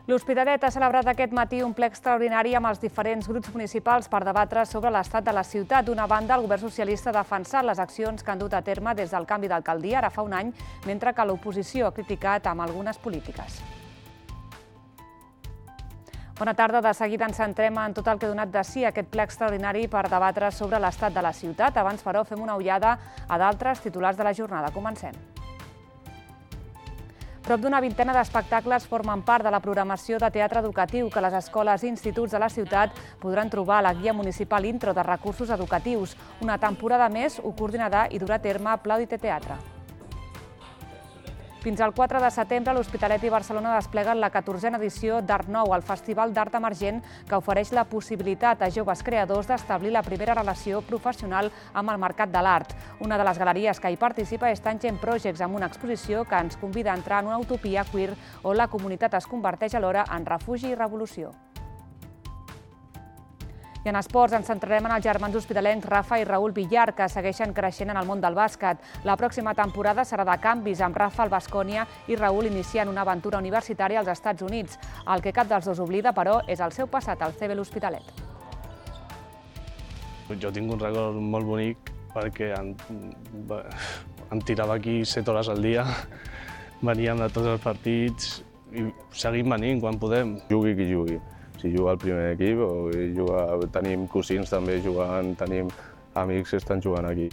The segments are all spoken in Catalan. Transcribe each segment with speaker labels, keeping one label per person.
Speaker 1: L'Hospitalet ha celebrat aquest matí un ple extraordinari amb els diferents grups municipals per debatre sobre l'estat de la ciutat. D'una banda, el govern socialista ha defensat les accions que han dut a terme des del canvi d'alcaldia, ara fa un any, mentre que l'oposició ha criticat amb algunes polítiques. Bona tarda. De seguida ens centrem en tot el que ha donat de si aquest ple extraordinari per debatre sobre l'estat de la ciutat. Abans, però, fem una ullada a d'altres titulars de la jornada. Comencem. Prop d'una vintena d'espectacles formen part de la programació de teatre educatiu que les escoles i instituts de la ciutat podran trobar a la guia municipal Intro de recursos educatius. Una temporada més ho coordinarà i durà a terme Plaudite Teatre. Fins al 4 de setembre, l'Hospitalet i Barcelona despleguen la 14a edició d'Art Nou, el festival d'art emergent que ofereix la possibilitat a joves creadors d'establir la primera relació professional amb el mercat de l'art. Una de les galeries que hi participa és Tangent Projects, amb una exposició que ens convida a entrar en una utopia queer on la comunitat es converteix alhora en refugi i revolució. I en esports ens centrarem en els germans hospitalencs Rafa i Raül Villar, que segueixen creixent en el món del bàsquet. La pròxima temporada serà de canvis, amb Rafa al Baskonia i Raül iniciant una aventura universitària als Estats Units. El que cap dels dos oblida, però, és el seu passat al CB l'Hospitalet.
Speaker 2: Jo tinc un record molt bonic perquè em tirava aquí 7 hores al dia, veníem de tots els partits i seguim venint quan podem.
Speaker 3: Jugui qui jugui. Si juga al primer equip o tenim cosins també jugant, tenim amics que estan jugant aquí.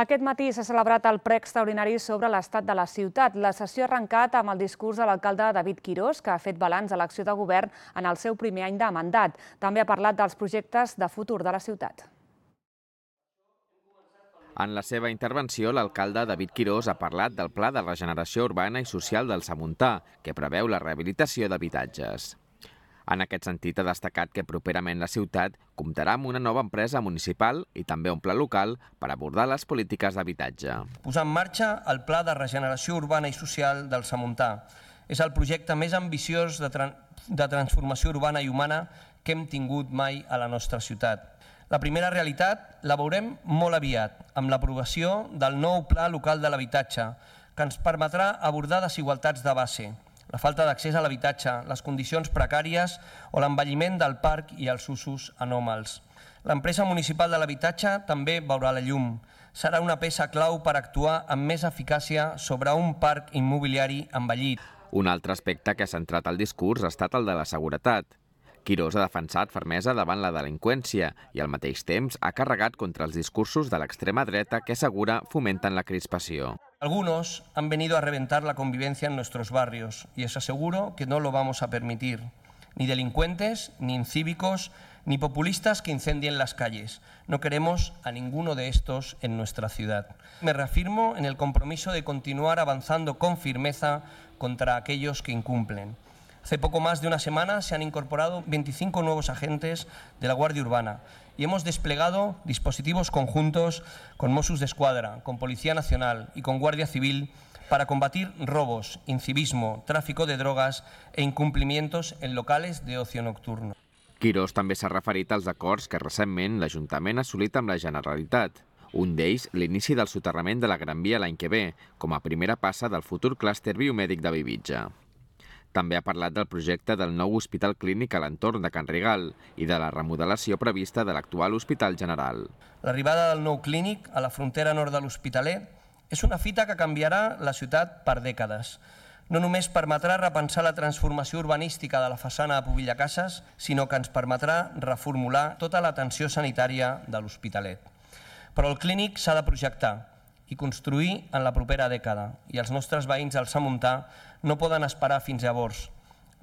Speaker 1: Aquest matí s'ha celebrat el ple extraordinari sobre l'estat de la ciutat. La sessió ha arrencat amb el discurs de l'alcalde David Quirós, que ha fet balanç de l'acció de govern en el seu primer any de mandat. També ha parlat dels projectes de futur de la ciutat.
Speaker 4: En la seva intervenció, l'alcalde David Quirós ha parlat del Pla de Regeneració Urbana i Social del Samuntà, que preveu la rehabilitació d'habitatges. En aquest sentit, ha destacat que properament la ciutat comptarà amb una nova empresa municipal i també un pla local per abordar les polítiques d'habitatge.
Speaker 5: Posar en marxa el Pla de Regeneració Urbana i Social del Samuntà. És el projecte més ambiciós de transformació urbana i humana que hem tingut mai a la nostra ciutat. La primera realitat la veurem molt aviat, amb l'aprovació del nou Pla Local de l'Habitatge, que ens permetrà abordar desigualtats de base, la falta d'accés a l'habitatge, les condicions precàries o l'envelliment del parc i els usos anòmals. L'empresa municipal de l'habitatge també veurà la llum. Serà una peça clau per actuar amb més eficàcia sobre un parc immobiliari envellit.
Speaker 4: Un altre aspecte que ha centrat el discurs ha estat el de la seguretat. Quirós ha defensat fermesa davant la delinqüència i al mateix temps ha carregat contra els discursos de l'extrema dreta que assegura fomenten la crispació.
Speaker 5: Algunos han venido a reventar la convivencia en nuestros barrios y os aseguro que no lo vamos a permitir. Ni delincuentes, ni incívicos, ni populistas que incendien las calles. No queremos a ninguno de estos en nuestra ciudad. Me reafirmo en el compromiso de continuar avanzando con firmeza contra aquellos que incumplen. Hace poco más de una semana se han incorporado 25 nuevos agentes de la Guardia Urbana y hemos desplegado dispositivos conjuntos con Mossos d'Esquadra, con Policía Nacional y con Guardia Civil para combatir robos, incivismo, tráfico de drogas e incumplimientos en locales de ocio nocturno.
Speaker 4: Quirós també s'ha referit als acords que recentment l'Ajuntament ha assolit amb la Generalitat. Un d'ells, l'inici del soterrament de la Gran Via l'any que ve, com a primera passa del futur clúster biomèdic de Bellvitge. També ha parlat del projecte del nou hospital clínic a l'entorn de Can Rigal i de la remodelació prevista de l'actual Hospital General.
Speaker 5: L'arribada del nou clínic a la frontera nord de l'Hospitalet és una fita que canviarà la ciutat per dècades. No només permetrà repensar la transformació urbanística de la façana de Pobilla Cases, sinó que ens permetrà reformular tota l'atenció sanitària de l'Hospitalet. Però el clínic s'ha de projectar i construir en la propera dècada, i els nostres veïns del Samuntà no poden esperar fins llavors.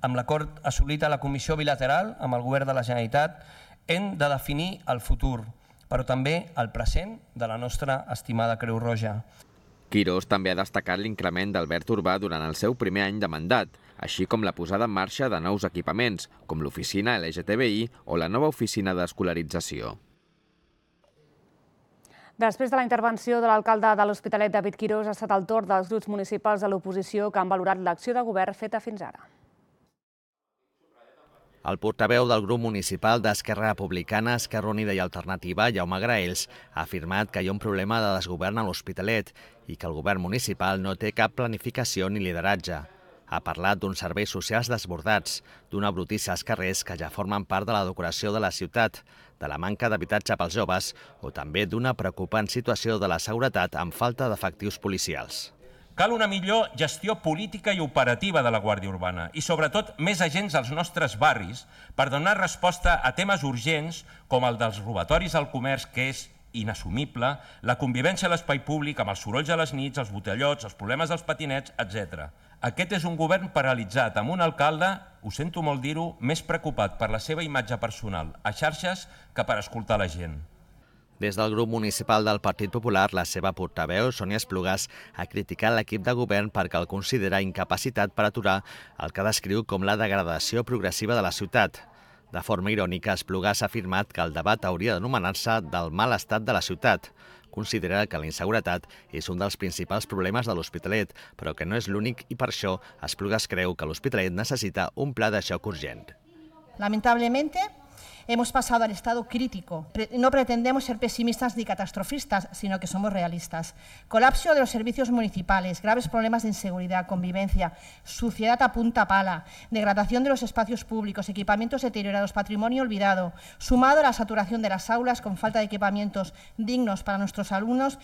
Speaker 5: Amb l'acord assolit a la Comissió Bilateral amb el Govern de la Generalitat hem de definir el futur, però també el present de la nostra estimada Creu Roja.
Speaker 4: Quirós també ha destacat l'increment del verd urbà durant el seu primer any de mandat, així com la posada en marxa de nous equipaments, com l'oficina LGTBI o la nova oficina d'escolarització.
Speaker 1: Després de la intervenció de l'alcalde de l'Hospitalet, David Quirós, ha estat el torn dels grups municipals de l'oposició que han valorat l'acció de govern feta fins ara.
Speaker 6: El portaveu del grup municipal d'Esquerra Republicana, Esquerra Unida i Alternativa, Jaume Graells, ha afirmat que hi ha un problema de desgovern a l'Hospitalet i que el govern municipal no té cap planificació ni lideratge. Ha parlat d'uns serveis socials desbordats, d'una brutícia als carrers que ja formen part de la decoració de la ciutat, de la manca d'habitatge pels joves o també d'una preocupant situació de la seguretat amb falta d'efectius policials.
Speaker 7: Cal una millor gestió política i operativa de la Guàrdia Urbana i, sobretot, més agents als nostres barris per donar resposta a temes urgents com el dels robatoris al comerç, que és inassumible, la convivència a l'espai públic amb els sorolls a les nits, els botellots, els problemes dels patinets, etc. Aquest és un govern paralitzat amb un alcalde, ho sento molt dir-ho, més preocupat per la seva imatge personal a xarxes que per escoltar la gent.
Speaker 6: Des del grup municipal del Partit Popular, la seva portaveu, Sònia Esplugas, ha criticat l'equip de govern perquè el considera incapacitat per aturar el que descriu com la degradació progressiva de la ciutat. De forma irònica, Esplugas ha afirmat que el debat hauria d'anomenar-se del mal estat de la ciutat. Considera que la inseguretat és un dels principals problemes de l'Hospitalet, però que no és l'únic i per això Esplugas creu que l'Hospitalet necessita un pla de xoc urgent.
Speaker 8: Lamentablemente, hemos pasado al estado crítico. No pretendemos ser pesimistas ni catastrofistas, sino que somos realistas. Colapso de los servicios municipales, graves problemas de inseguridad, convivencia, suciedad a punta pala, degradación de los espacios públicos, equipamientos deteriorados, patrimonio olvidado, sumado a la saturación de las aulas con falta de equipamientos dignos para nuestros alumnos.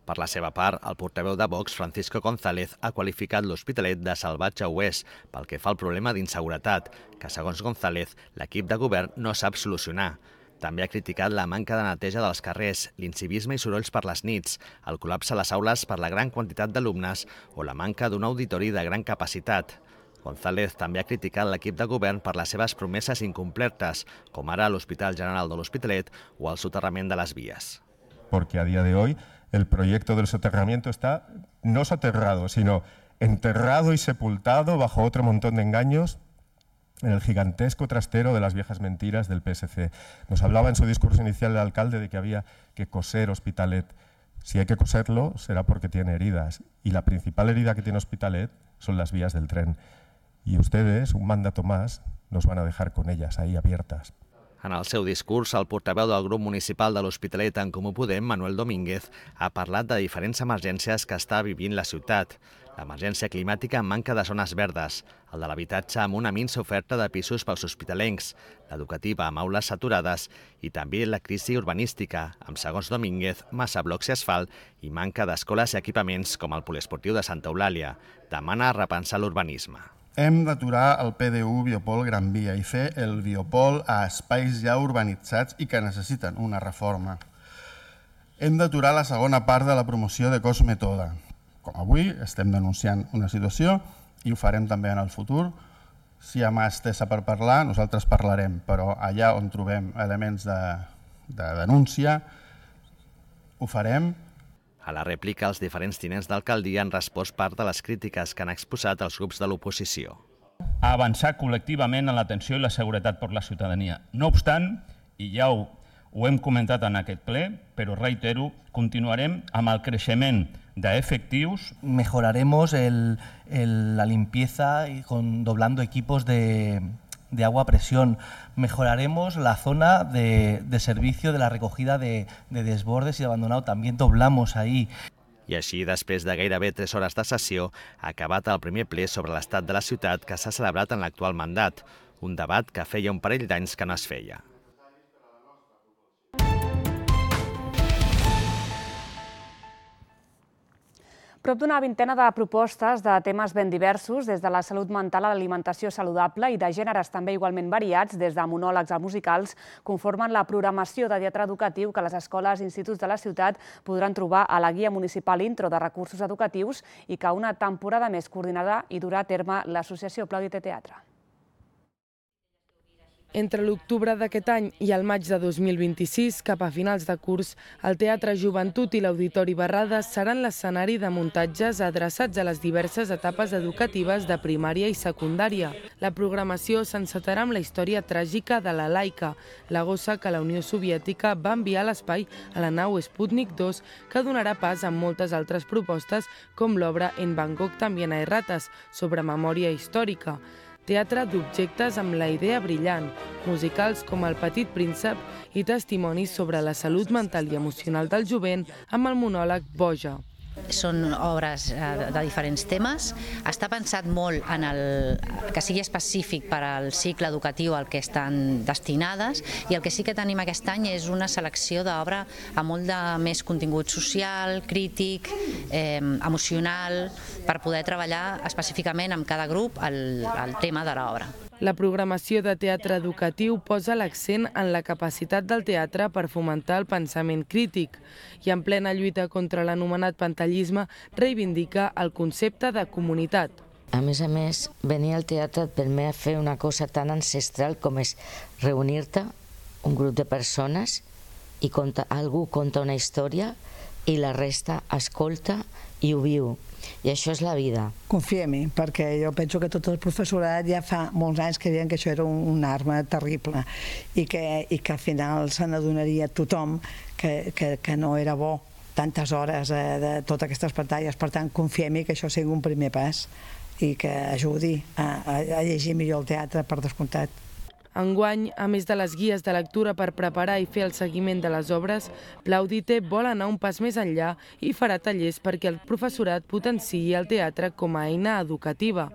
Speaker 6: Per la seva part, el portaveu de Vox, Francisco González, ha qualificat l'Hospitalet de salvatge oest pel que fa al problema d'inseguretat, que, segons González, l'equip de govern no sap solucionar. També ha criticat la manca de neteja dels carrers, l'incivisme i sorolls per les nits, el col·lapse a les aules per la gran quantitat d'alumnes o la manca d'un auditori de gran capacitat. González també ha criticat l'equip de govern per les seves promeses incomplertes, com ara l'Hospital General de l'Hospitalet o el soterrament de les vies.
Speaker 9: Porque a día de hoy el proyecto del soterramiento está no soterrado, sino enterrado y sepultado bajo otro montón de engaños en el gigantesco trastero de las viejas mentiras del PSC. Nos hablaba en su discurso inicial el alcalde de que había que coser Hospitalet. Si hay que coserlo, será porque tiene heridas. Y la principal herida que tiene Hospitalet son las vías del tren. Y ustedes, un mandato más, nos van a dejar con ellas ahí abiertas.
Speaker 6: En el seu discurs, el portaveu del grup municipal de l'Hospitalet en Comú Podem, Manuel Domínguez, ha parlat de diferents emergències que està vivint la ciutat. L'emergència climàtica amb manca de zones verdes, el de l'habitatge amb una minsa oferta de pisos pels hospitalencs, l'educativa amb aules saturades i també la crisi urbanística, amb, segons Domínguez, massa blocs i asfalt i manca d'escoles i equipaments com el poliesportiu de Santa Eulàlia. Demana repensar l'urbanisme.
Speaker 10: Hem d'aturar el PDU Biopol Gran Via i fer el biopol a espais ja urbanitzats i que necessiten una reforma. Hem d'aturar la segona part de la promoció de Cosmetoda. Com avui estem denunciant una situació i ho farem també en el futur. Si hi ha mà estesa per parlar, nosaltres parlarem, però allà on trobem elements de denúncia, ho farem.
Speaker 6: A la rèplica, els diferents tinents d'alcaldia han respost part de les crítiques que han exposat els grups de l'oposició.
Speaker 11: A avançar col·lectivament en l'atenció i la seguretat per la ciutadania. No obstant, i ja ho hem comentat en aquest ple, però reitero, continuarem amb el creixement d'efectius.
Speaker 12: Mejoraremos la limpieza doblando equipos de agua a presión. Mejoraremos la zona de servicio de la recogida de desbordes y de abandonado. También doblamos ahí.
Speaker 6: I així, després de gairebé 3 hores de sessió, ha acabat el primer ple sobre l'estat de la ciutat que s'ha celebrat en l'actual mandat, un debat que feia un parell d'anys que no es feia.
Speaker 1: Prop d'una vintena de propostes de temes ben diversos, des de la salut mental a l'alimentació saludable i de gèneres també igualment variats, des de monòlegs a musicals, conformen la programació de teatre educatiu que les escoles i instituts de la ciutat podran trobar a la Guia Municipal Intro de Recursos Educatius i que una temporada més coordinada i durà a terme l'associació Plaudite Teatre.
Speaker 13: Entre l'octubre d'aquest any i el maig de 2026, cap a finals de curs, el Teatre Joventut i l'Auditori Barrades seran l'escenari de muntatges adreçats a les diverses etapes educatives de primària i secundària. La programació s'encetarà amb la història tràgica de la Laika, la gossa que la Unió Soviètica va enviar a l'espai a la nau Sputnik 2, que donarà pas a moltes altres propostes, com l'obra En Bangkok también hay ratas, sobre memòria històrica. teatre d'objectes amb la idea brillant, musicals com El petit príncep i testimonis sobre la salut mental i emocional del jovent amb el monòleg Boja.
Speaker 14: Són obres de diferents temes. Està pensat molt en que sigui específic per al cicle educatiu al que estan destinades, i el que sí que tenim aquest any és una selecció d'obra amb molt de més contingut social, crític, emocional, per poder treballar específicament amb cada grup el tema de l'obra.
Speaker 13: La programació de teatre educatiu posa l'accent en la capacitat del teatre per fomentar el pensament crític i en plena lluita contra l'anomenat pantallisme reivindica el concepte de comunitat.
Speaker 15: A més, venir al teatre et permet fer una cosa tan ancestral com és reunir-te, un grup de persones, i algú conta una història i la resta escolta i ho viu. I això és la vida.
Speaker 16: Confia-m'hi, perquè jo penso que tot el professorat ja fa molts anys que deien que això era una arma terrible i que al final se n'adonaria tothom que no era bo tantes hores de totes aquestes pantalles. Per tant, confia-m'hi que això sigui un primer pas i que ajudi a llegir millor el teatre, per descomptat.
Speaker 13: Enguany, a més de les guies de lectura per preparar i fer el seguiment de les obres, Plaudite vol anar un pas més enllà i farà tallers perquè el professorat potenciï el teatre com a eina educativa.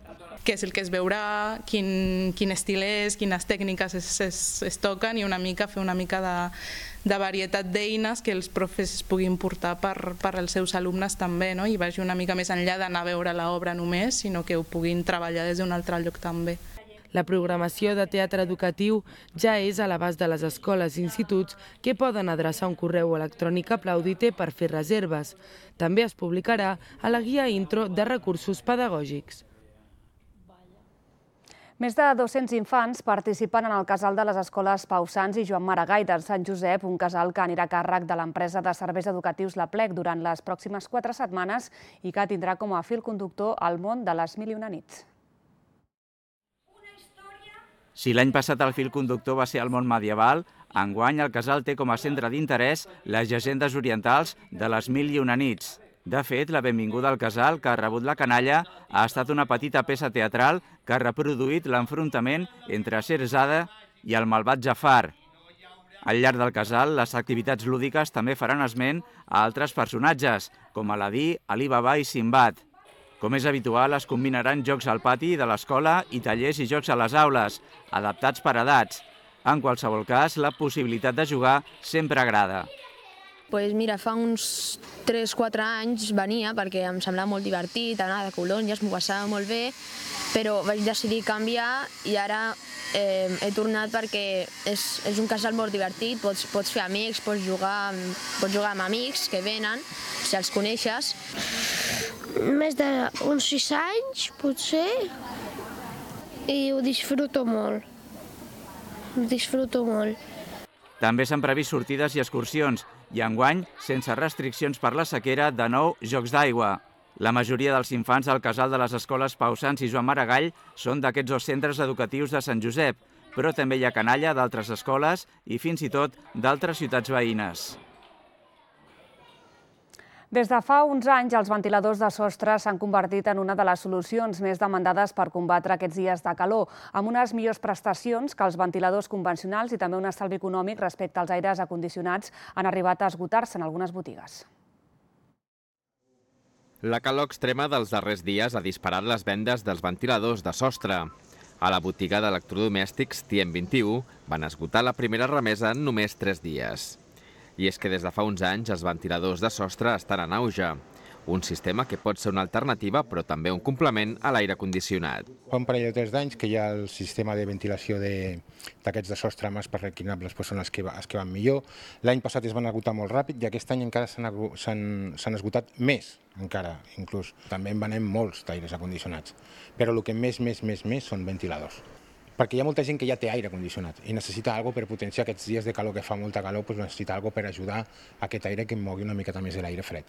Speaker 17: Què és el que es veurà, quin estil és, quines tècniques es toquen, i fer una mica de varietat d'eines que els profes puguin portar per als seus alumnes també, i vagi una mica més enllà d'anar a veure l'obra només, sinó que ho puguin treballar des d'un altre lloc també.
Speaker 13: La programació de teatre educatiu ja és a l'abast de les escoles i instituts que poden adreçar un correu electrònic a Plaudite per fer reserves. També es publicarà a la guia intro de recursos pedagògics.
Speaker 1: Més de 200 infants participen en el casal de les escoles Pau Sans i Joan Maragall de Sant Josep, un casal que anirà a càrrec de l'empresa de serveis educatius La Plec durant les pròximes 4 setmanes i que tindrà com a fil conductor el món de les mil i una nits.
Speaker 18: Si l'any passat el fil conductor va ser el món medieval, enguany el casal té com a centre d'interès les llegendes orientals de les mil i una nits. De fet, la benvinguda al casal, que ha rebut la canalla, ha estat una petita peça teatral que ha reproduït l'enfrontament entre Scheherazade i el malvat Jafar. Al llarg del casal, les activitats lúdiques també faran esment a altres personatges, com Aladí, Ali Baba i Simbad. Com és habitual, es combinaran jocs al pati de l'escola i tallers i jocs a les aules, adaptats per edats. En qualsevol cas, la possibilitat de jugar sempre agrada.
Speaker 19: Mira, fa uns 3-4 anys venia perquè em semblava molt divertit, anar de colònies, m'ho passava molt bé, però vaig decidir canviar i ara he tornat perquè és un casal molt divertit, pots fer amics, pots jugar amb amics que venen, si els coneixes.
Speaker 20: Més d'uns 6 anys, potser, i ho disfruto molt.
Speaker 18: També s'han previst sortides i excursions, i enguany, sense restriccions per la sequera, de nou jocs d'aigua. La majoria dels infants al casal de les escoles Pau Sans i Joan Maragall són d'aquests 2 centres educatius de Sant Josep, però també hi ha canalla d'altres escoles i fins i tot d'altres ciutats veïnes.
Speaker 1: Des de fa uns anys, els ventiladors de sostre s'han convertit en una de les solucions més demandades per combatre aquests dies de calor, amb unes millors prestacions que els ventiladors convencionals i també un estalvi econòmic respecte als aires acondicionats han arribat a esgotar-se en algunes botigues.
Speaker 4: La calor extrema dels darrers dies ha disparat les vendes dels ventiladors de sostre. A la botiga d'electrodomèstics Tiem 21 van esgotar la primera remesa en només 3 dies. I és que des de fa uns anys els ventiladors de sostre estan en auge. Un sistema que pot ser una alternativa però també un complement a l'aire condicionat.
Speaker 21: Fa un parell o 3 d'anys que ja el sistema de ventilació d'aquests de sostre amb espais reclinables són els que van millor. L'any passat es van esgotar molt ràpid i aquest any encara s'han esgotat més, encara, inclús. També en venem molts d'aires acondicionats, però el que més són ventiladors. Perquè hi ha molta gent que ja té aire condicionat i necessita alguna cosa per potenciar aquests dies de calor que fa molta calor, necessita alguna cosa per ajudar a aquest aire que mogui una miqueta més de l'aire fred.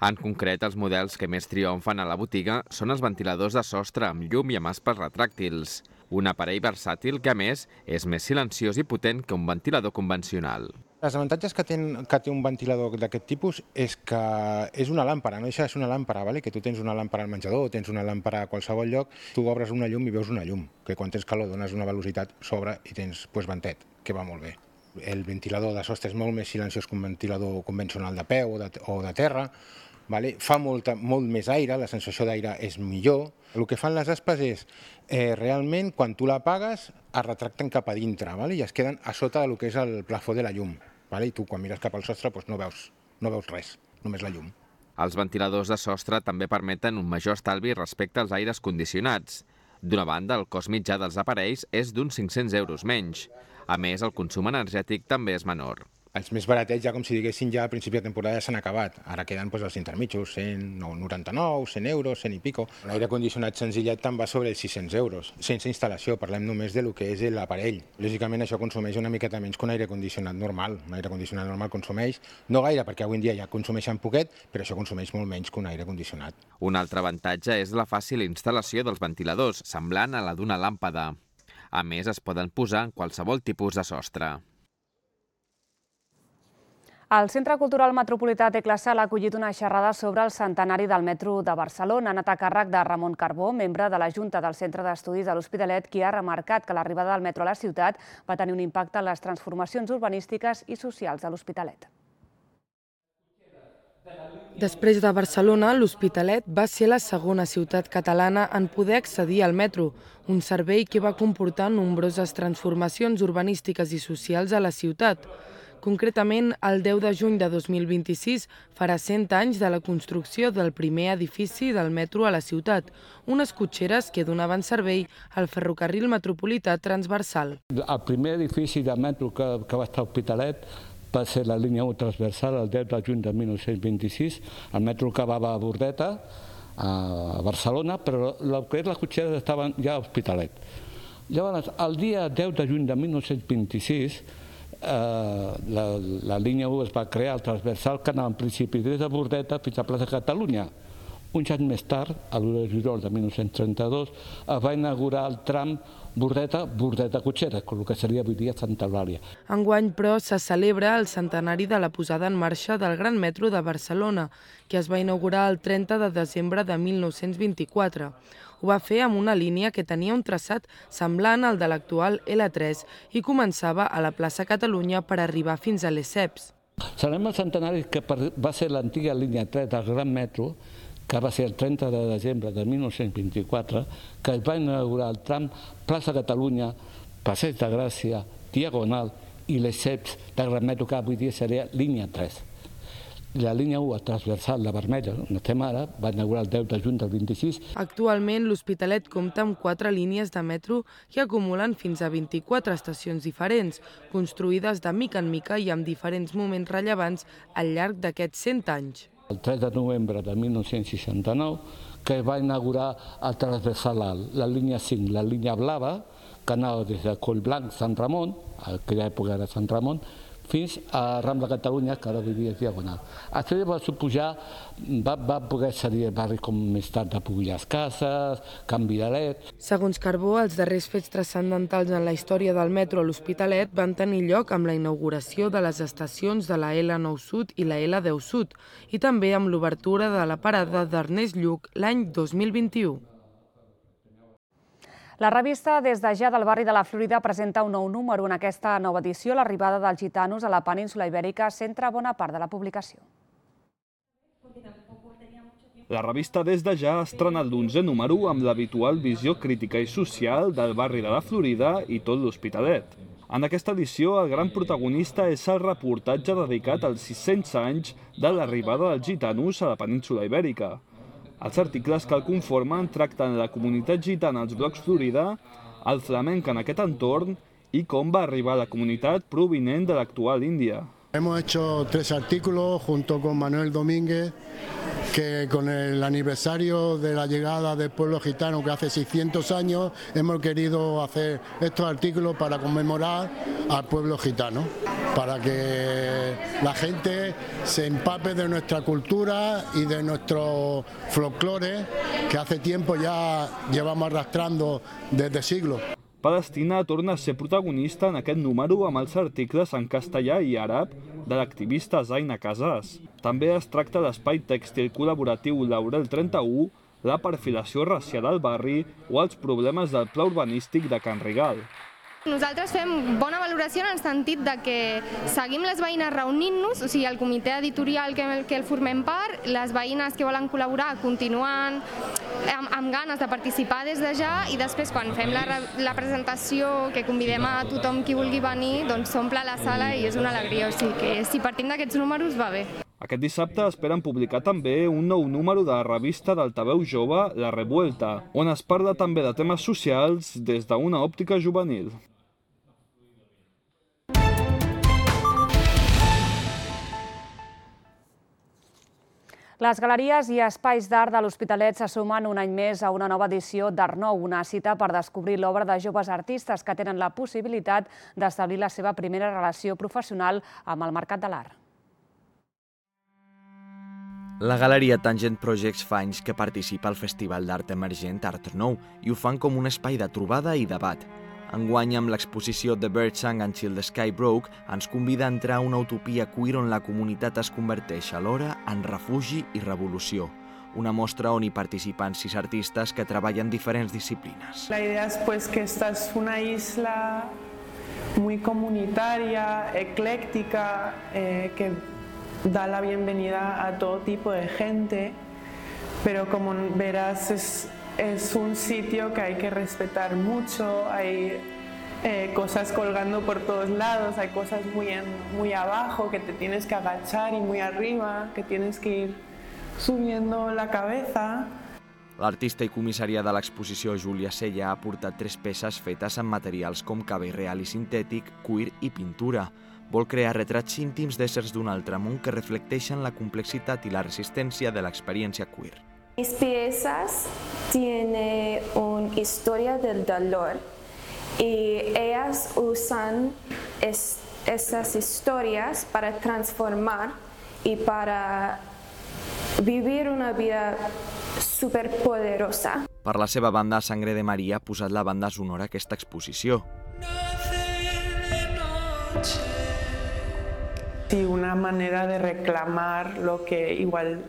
Speaker 4: En concret, els models que més triomfen a la botiga són els ventiladors de sostre amb llum i amb aspes retràctils. Un aparell versàtil que, a més, és més silenciós i potent que un ventilador convencional.
Speaker 21: Els avantatges que té un ventilador d'aquest tipus és que és una làmpara, no deixa de ser una làmpara, que tu tens una làmpara al menjador, tens una làmpara a qualsevol lloc, tu obres una llum i veus una llum, que quan tens calor dones una velocitat, s'obre i tens ventet, que va molt bé. El ventilador de sostre és molt més silenciós que un ventilador convencional de peu o de terra, fa molt més aire, la sensació d'aire és millor. El que fan les aspes és, realment, quan tu l'apagues, es retracten cap a dintre i es queden a sota del que és el plafó de la llum. I tu, quan mires cap al sostre, no veus res, només la llum.
Speaker 4: Els ventiladors de sostre també permeten un major estalvi respecte als aires condicionats. D'una banda, el cost mitjà dels aparells és d'uns 500 euros menys. A més, el consum energètic també és menor.
Speaker 21: Els més baratets, ja com si diguessin, ja a principi de temporada s'han acabat. Ara queden els intermitjos, 199, 100 euros, 100 i pico. L'aire condicionat senzillet te'n va sobre els 600 euros. Sense instal·lació, parlem només del que és l'aparell. Lògicament això consumeix una miqueta menys que un aire condicionat normal. Un aire condicionat normal consumeix, no gaire, perquè avui en dia ja consumeixen poquet, però això consumeix molt menys que un aire condicionat.
Speaker 4: Un altre avantatge és la fàcil instal·lació dels ventiladors, semblant a la d'una làmpada. A més, es poden posar en qualsevol tipus de sostre.
Speaker 1: El Centre Cultural Metropolità Teclasal ha acollit una xerrada sobre el centenari del metro de Barcelona. Ha anat a càrrec de Ramon Carbó, membre de la Junta del Centre d'Estudis de l'Hospitalet, qui ha remarcat que l'arribada del metro a la ciutat va tenir un impacte en les transformacions urbanístiques i socials de l'Hospitalet.
Speaker 13: Després de Barcelona, l'Hospitalet va ser la segona ciutat catalana en poder accedir al metro, un servei que va comportar nombroses transformacions urbanístiques i socials a la ciutat. Concretament, el 10 de juny de 2026 farà 100 anys de la construcció del primer edifici del metro a la ciutat, unes cotxeres que donaven servei al ferrocarril metropolità transversal.
Speaker 2: El primer edifici de metro que va estar a Hospitalet va ser la línia 1 transversal el 10 de juny de 1926. El metro acabava a Bordeta, a Barcelona, però les cotxeres estaven ja a Hospitalet. Llavors, el dia 10 de juny de 1926, la línia 1 es va crear, el transversal, que anava en principi des de Bordeta fins a Plaça Catalunya. Uns anys més tard, a l'1 de juliol de 1932, es va inaugurar el tram Bordeta-Cotxeres, el que seria avui dia Santa Eulàlia.
Speaker 13: Enguany, però, se celebra el centenari de la posada en marxa del Gran Metro de Barcelona, que es va inaugurar el 30 de desembre de 1924. Ho va fer amb una línia que tenia un traçat semblant al de l'actual L3 i començava a la plaça Catalunya per arribar fins a Lesseps.
Speaker 2: Celebrem el centenari que va ser l'antiga línia 3 del Gran Metro, que va ser el 30 de desembre de 1924, que es va inaugurar el tram plaça Catalunya, Passeig de Gràcia, Diagonal i Lesseps del Gran Metro, que avui dia seria línia 3. La línia 1 transversal, la vermella, on estem ara, va inaugurar el 10 de juny del 26.
Speaker 13: Actualment, l'Hospitalet compta amb 4 línies de metro que acumulen fins a 24 estacions diferents, construïdes de mica en mica i amb diferents moments rellevants al llarg d'aquests 100 anys.
Speaker 2: El 3 de novembre de 1969, que va inaugurar el transversal alt, la línia 5, la línia blava, que anava des de Collblanc, Sant Ramon, a aquella època era Sant Ramon, fins a Rambla Catalunya, que ara vivia Diagonal. Això va suposar, va poder ser barris com més tard de Pugullars Cases, Can Viralet.
Speaker 13: Segons Carbó, els darrers fets transcendentals en la història del metro a l'Hospitalet van tenir lloc amb la inauguració de les estacions de la L9 Sud i la L10 Sud i també amb l'obertura de la parada d'Ernest Lluch l'any 2021.
Speaker 1: La revista Des de ja del barri de la Florida presenta un nou número. En aquesta nova edició, l'arribada dels gitanos a la península Ibèrica centra bona part de la publicació.
Speaker 22: La revista Des de ja estrena el 11è número amb l'habitual visió crítica i social del barri de la Florida i tot l'Hospitalet. En aquesta edició, el gran protagonista és el reportatge dedicat als 600 anys de l'arribada dels gitanos a la península Ibèrica. Els articles que el conformen tracten la comunitat gitana als blocs Florida, el flamenc en aquest entorn i com va arribar la comunitat provinent de l'actual Índia.
Speaker 23: Hemos hecho 3 artículos junto con Manuel Domínguez, que con el aniversario de la llegada del pueblo gitano, que hace 600 años, hemos querido hacer estos artículos para conmemorar al pueblo gitano, para que la gente se empape de nuestra cultura y de nuestro folclore, que hace tiempo ya llevamos arrastrando desde siglos.
Speaker 22: Palestina torna a ser protagonista en aquest número amb els articles en castellà i àrab de l'activista Zaina Casas. També es tracta l'espai tèxtil col·laboratiu Laurel 31, la perfilació racial al barri o els problemes del pla urbanístic de Can Rigal.
Speaker 3: Nosaltres fem bona valoració en el sentit de que seguim les veïnes reunint-nos, o sigui, el comitè editorial que el formem part, les veïnes que volen col·laborar continuen amb ganes de participar des de ja i després quan fem la presentació que convidem a tothom qui vulgui venir, doncs s'omple la sala i és una alegria, o sigui que si partim d'aquests números va bé.
Speaker 22: Aquest dissabte esperen publicar també un nou número de la revista d'altaveu jove, La Revuelta, on es parla també de temes socials des d'una òptica juvenil.
Speaker 1: Les galeries i espais d'art de l'Hospitalet se sumen un any més a una nova edició d'Art Nou, una cita per descobrir l'obra de joves artistes que tenen la possibilitat d'establir la seva primera relació professional amb el mercat de l'art.
Speaker 6: La Galeria Tangent Projects fa anys que participa al Festival d'Art Emergent Art Nou i ho fan com un espai de trobada i debat. Enguany, amb l'exposició The Bird Sang Until the Sky Broke, ens convida a entrar a una utopia queer on la comunitat es converteix alhora en refugi i revolució. Una mostra on hi participen 6 artistes que treballen diferents disciplines.
Speaker 5: La idea es que esta es una isla muy comunitaria, ecléctica, que da la bienvenida a todo tipo de gente, pero como verás es un sitio que hay que respetar mucho, hay cosas colgando por todos lados, hay cosas muy abajo que te tienes que agachar y muy arriba, que tienes que ir subiendo la cabeza.
Speaker 6: L'artista i comissària de l'exposició Júlia Sella ha portat 3 peces fetes amb materials com cabell real i sintètic, cuir i pintura. Vol crear retrats íntims d'éssers d'un altre món que reflecteixen la complexitat i la resistència de l'experiència queer.
Speaker 7: Mis piezas tienen una historia del dolor y ellas usan esas historias para transformar y para vivir una vida superpoderosa.
Speaker 6: Per la seva banda, Sangre de Maria ha posat la banda sonora a aquesta exposició.
Speaker 5: Sí, una manera de reclamar lo que igual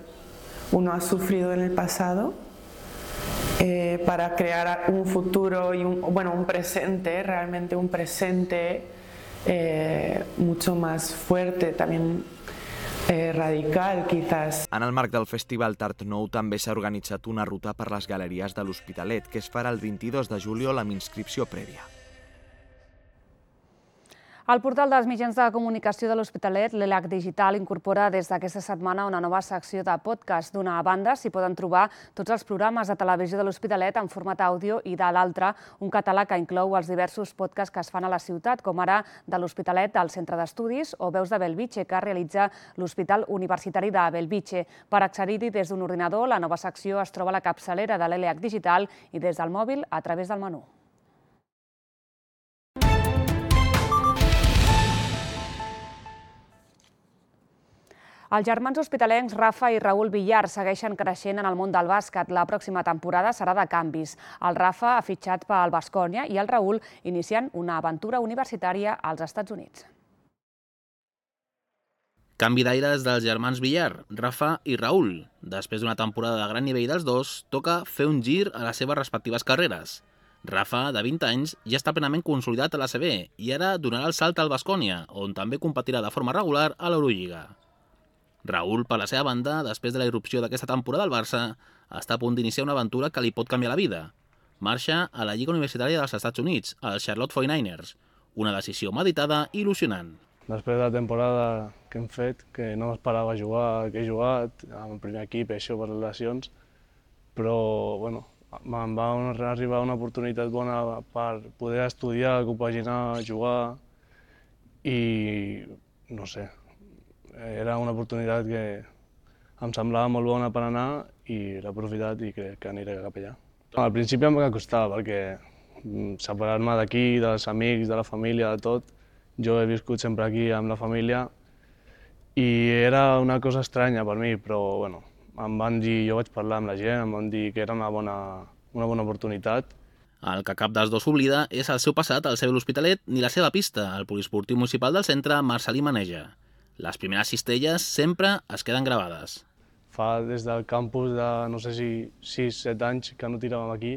Speaker 5: uno ha sufrido en el pasado para crear un futuro y un presente, realmente un presente mucho más fuerte, también radical, quizás.
Speaker 6: En el marc del Festival d'Art Nou també s'ha organitzat una ruta per les galeries de l'Hospitalet que es farà el 22 de juliol amb inscripció prèvia.
Speaker 1: El portal dels mitjans de comunicació de l'Hospitalet, l'ELAC Digital, incorpora des d'aquesta setmana una nova secció de podcast. D'una banda, s'hi poden trobar tots els programes de televisió de l'Hospitalet en format àudio i de l'altra, un catàleg que inclou els diversos podcasts que es fan a la ciutat, com ara de l'Hospitalet al Centre d'Estudis o Veus de Bellvitge, que realitza l'Hospital Universitari de Bellvitge. Per accedir-hi des d'un ordinador, la nova secció es troba a la capçalera de l'ELAC Digital i des del mòbil a través del menú. Els germans hospitalencs Rafa i Raül Villar segueixen creixent en el món del bàsquet. La pròxima temporada serà de canvis. El Rafa ha fitxat pel Baskonia i el Raül iniciant una aventura universitària als Estats Units.
Speaker 24: Canvi d'aires dels germans Villar, Rafa i Raül. Després d'una temporada de gran nivell dels dos, toca fer un gir a les seves respectives carreres. Rafa, de 20 anys, ja està plenament consolidat a l'ACB i ara donarà el salt al Baskonia, on també competirà de forma regular a l'Eurolliga. Raül, per la seva banda, després de la irrupció d'aquesta temporada al Barça, està a punt d'iniciar una aventura que li pot canviar la vida. Marxa a la Lliga Universitària dels Estats Units, als Charlotte 49ers. Una decisió meditada i il·lusionant.
Speaker 25: Després de la temporada que hem fet, que no m'esperava jugar, que he jugat, amb el primer equip, això per les lesions, però bueno, em va arribar una oportunitat bona per poder estudiar, compaginar, jugar i no sé, era una oportunitat que em semblava molt bona per anar i l'he aprofitat i crec que aniré cap allà. Al principi em va costar perquè separar-me d'aquí, dels amics, de la família, de tot. Jo he viscut sempre aquí amb la família i era una cosa estranya per mi, però bueno, em van dir, jo vaig parlar amb la gent, em van dir que era una bona oportunitat.
Speaker 24: El que cap dels dos s'oblida és el seu passat al CB l'Hospitalet ni la seva pista, al poliesportiu municipal del centre Marcelí Maneja. Les primeres cistelles sempre es queden gravades.
Speaker 25: Fa des del campus de, no sé si 6-7 anys que no tiràvem aquí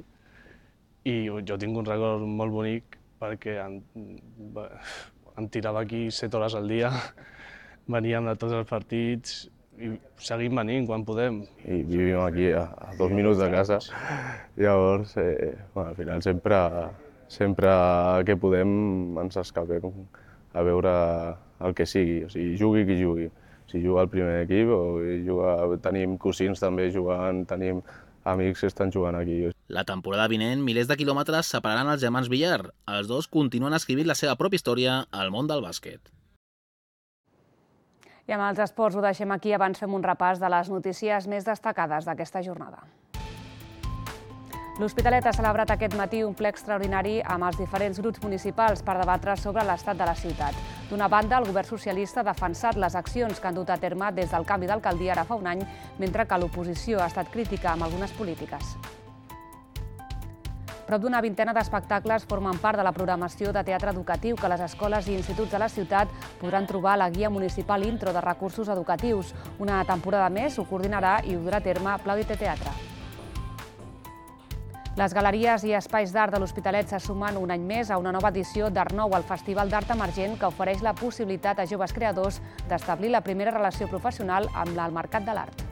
Speaker 25: i jo tinc un record molt bonic perquè en tirava aquí 7 hores al dia, veníem de tots els partits i seguim venint quan podem.
Speaker 8: I vivim aquí a 2 minuts de casa, llavors al final sempre que podem ens escapem a veure el que sigui, o sigui, jugui qui jugui. Si juga al primer equip o tenim cosins també jugant, tenim amics que estan jugant aquí.
Speaker 24: La temporada vinent, milers de quilòmetres separaran els germans Villar. Els dos continuen escrivint la seva pròpia història al món del bàsquet.
Speaker 1: I amb els esports ho deixem aquí, abans fem un repàs de les notícies més destacades d'aquesta jornada. L'Hospitalet ha celebrat aquest matí un ple extraordinari amb els diferents grups municipals per debatre sobre l'estat de la ciutat. D'una banda, el govern socialista ha defensat les accions que han dut a terme des del canvi d'alcaldia ara fa un any, mentre que l'oposició ha estat crítica amb algunes polítiques. Prop d'una vintena d'espectacles formen part de la programació de teatre educatiu que les escoles i instituts de la ciutat podran trobar a la guia municipal Intro de recursos educatius. Una temporada més ho coordinarà i ho durà a terme Plaudite Teatre. Les galeries i espais d'art de l'Hospitalet se sumen un any més a una nova edició d'Art Nou, el Festival d'Art Emergent, que ofereix la possibilitat a joves creadors d'establir la primera relació professional amb el mercat de l'art.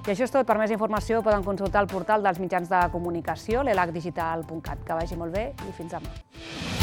Speaker 1: I això és tot. Per més informació poden consultar el portal dels mitjans de comunicació, l'elacdigital.cat. Que vagi molt bé i fins demà.